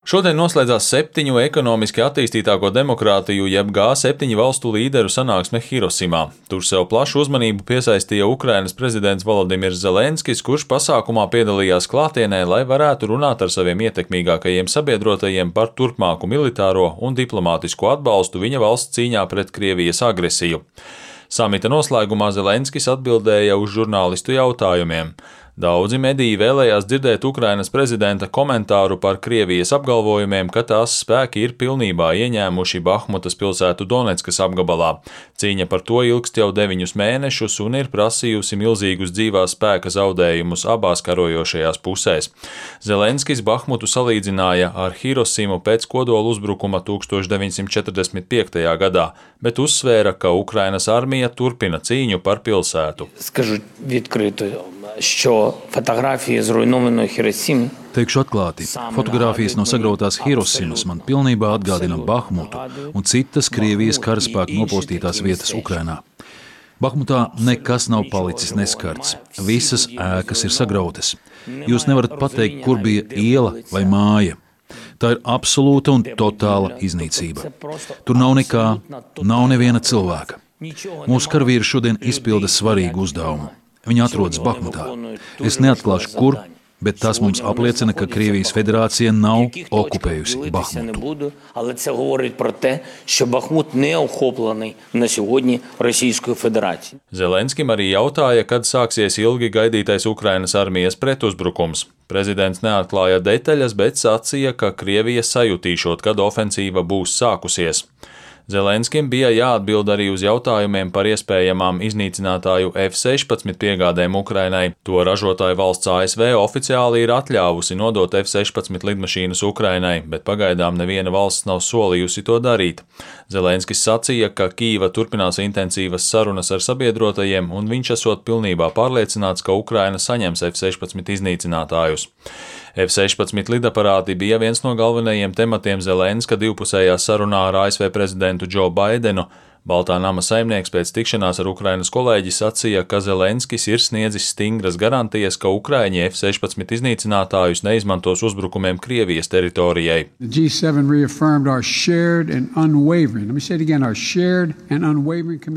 Šodien noslēdzās 7 ekonomiski attīstītāko demokrātiju jeb G7 valstu līderu sanāksme Hirosimā. Tur sev plašu uzmanību piesaistīja Ukrainas prezidents Volodimirs Zelenskis, kurš pasākumā piedalījās klātienē, lai varētu runāt ar saviem ietekmīgākajiem sabiedrotajiem par turpmāku militāro un diplomātisko atbalstu viņa valsts cīņā pret Krievijas agresiju. Samita noslēgumā Zelenskis atbildēja uz žurnālistu jautājumiem. Daudzi mediji vēlējās dzirdēt Ukrainas prezidenta komentāru par Krievijas apgalvojumiem, ka tās spēki ir pilnībā ieņēmuši Bahmutas pilsētu Doneckas apgabalā. Cīņa par to ilgst jau 9 mēnešus un ir prasījusi milzīgus dzīvās spēka zaudējumus abās karojošajās pusēs. Zelenskis Bahmutu salīdzināja ar Hirosimu pēc kodola uzbrukuma 1945. gadā, bet uzsvēra, ka Ukrainas armija turpina cīņu par pilsētu. Teikšu atklāti, fotogrāfijas no sagrautās Hirosimas man pilnībā atgādina Bahmutu un citas Krievijas karaspēku nopostītās vietas Ukrainā. Bahmutā nekas nav palicis neskarts, visas ēkas ir sagrautas. Jūs nevarat pateikt, kur bija iela vai māja. Tā ir absolūta un totāla iznīcība. Tur nav nekā, nav neviena cilvēka. Mūsu karavīri šodien izpilda svarīgu uzdevumu. Viņi atrodas Bahmutā. Es neatklāšu, kur, bet tas mums apliecina, ka Krievijas federācija nav okupējusi Bahmutu. Zelenskim arī jautāja, kad sāksies ilgi gaidītais Ukrainas armijas pretuzbrukums. Prezidents neatklāja detaļas, bet sacīja, ka Krievija sajutīšot, kad ofensīva būs sākusies. Zelenskim bija jāatbild arī uz jautājumiem par iespējamām iznīcinātāju F-16 piegādēm Ukrainai. To ražotāju valsts ASV oficiāli ir atļāvusi nodot F-16 lidmašīnas Ukrainai, bet pagaidām neviena valsts nav solījusi to darīt. Zelenskis sacīja, ka Kīva turpinās intensīvas sarunas ar sabiedrotajiem, un viņš esot pilnībā pārliecināts, ka Ukraina saņems F-16 iznīcinātājus. F-16 lidaparāti bija viens no galvenajiem tematiem Zelenska divpusējā sarunā ar ASV prezidentu Džo Baidenu. Baltā nama saimnieks pēc tikšanās ar Ukrainas kolēģi sacīja, ka Zelenskis ir sniedzis stingras garantijas, ka Ukraiņi F-16 iznīcinātājus neizmantos uzbrukumiem Krievijas teritorijai.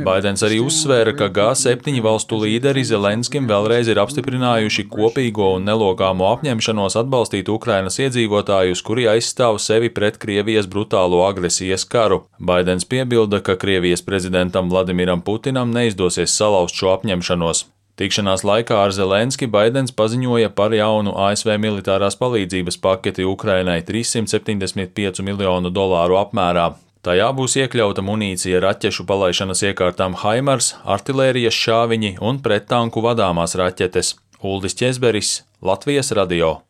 Baidens arī uzsvēra, ka G7 valstu līderi Zelenskim vēlreiz ir apstiprinājuši kopīgo un nelokāmo apņemšanos atbalstīt Ukrainas iedzīvotājus, kuri aizstāv sevi pret Krievijas brutālo agresijas karu. Baidens piebilda, ka Krievijas prezidentam Vladimiram Putinam neizdosies salauzt šo apņemšanos. Tikšanās laikā ar Zelenski Baidens paziņoja par jaunu ASV militārās palīdzības paketi Ukrainai $375 miljonu apmērā. Tajā būs iekļauta munīcija raķešu palaišanas iekārtām HIMARS, artilērijas šāviņi un prettanku vadāmās raķetes. Uldis Ķezberis, Latvijas radio.